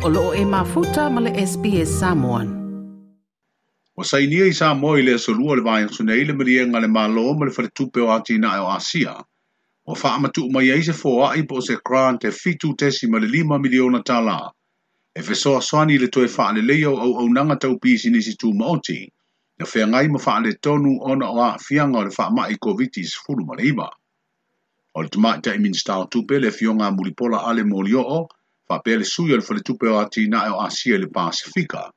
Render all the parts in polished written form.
O lo o e mafuta ma le SBS Samoan. Ua sainia i Samoa i le aso Lua o le vaiaso nei le maliega a le Malo ma le Faletupe o Atinae o Asia, ua faamatuu mai ai se foai po o se grant e $7.5 miliona tala e fesoasoani i le toe faaleleia o auaunaga tau pisinisi tumaoti na feagai ma faaletonu ona o aafiaga o le faamai Koviti-19. O le Tamaitai Minisita o Tupe le Afioga ia Mulipola Ale Molioo faapea le sui o le Faletupe o Atinae o Asia i le Pasefika,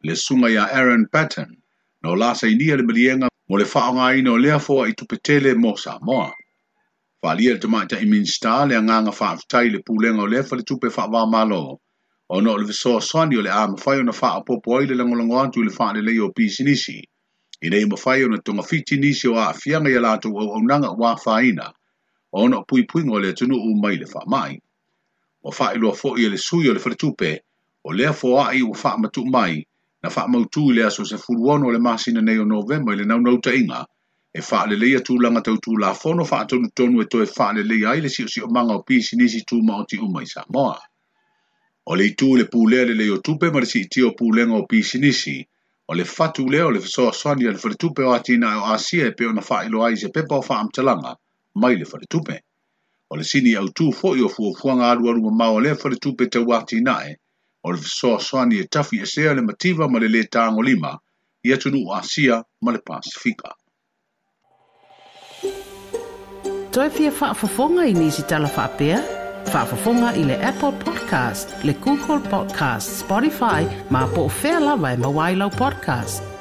le Susuga ia Aaron Patton, na o la sainia le maliega mo le faaaogaina o lea foai tupe tele mo Samoa. Faaalia e le Tamaitai Minisita le agaga faafetai i le pulega o lea faletupe faava-o-Malo ona o le fesoasoani o le a mafai ona faaopoopo ai le lagolago atu i le faaleleia o pisinisi ina ia mafai ona togafiti nisi o aafiaga i a latou auaunaga ua afaina ona o puipuiga o le atunuu mai le faamai. Ua faailoa foi e le sui o le faletupe o lea foai ua faamatuu mai na faamautu i le aso 16 o le masina nei o Novema i le naunautaiga e faaleleia tulaga tau tulafono faatonutonu e toe faaleleia ai le siosiomaga o pisinisi tumaoti uma i Samoa. O le itu i le pulea lelei o tupe ma le siitia o pulega o pisinisi, o le fatu lea o le fesoasoani a le Faletupe o Atinae o Asia e pei ona faailoa ai i se pepa o faamatalaga mai le faletupe. O le sini autu foi o fuafuaga alualu mamao a lea faletupe tau atinae, o le fesoasoani e tafiesea le mativa ma le lē tagolima i atunuu Asia ma le Pasefika. Toe fia faafofoga i nisi tala faapea? Faafofoga i le Apple Podcast, le Google Podcast, Spotify, ma po o fea lava e maua ai lau podcast.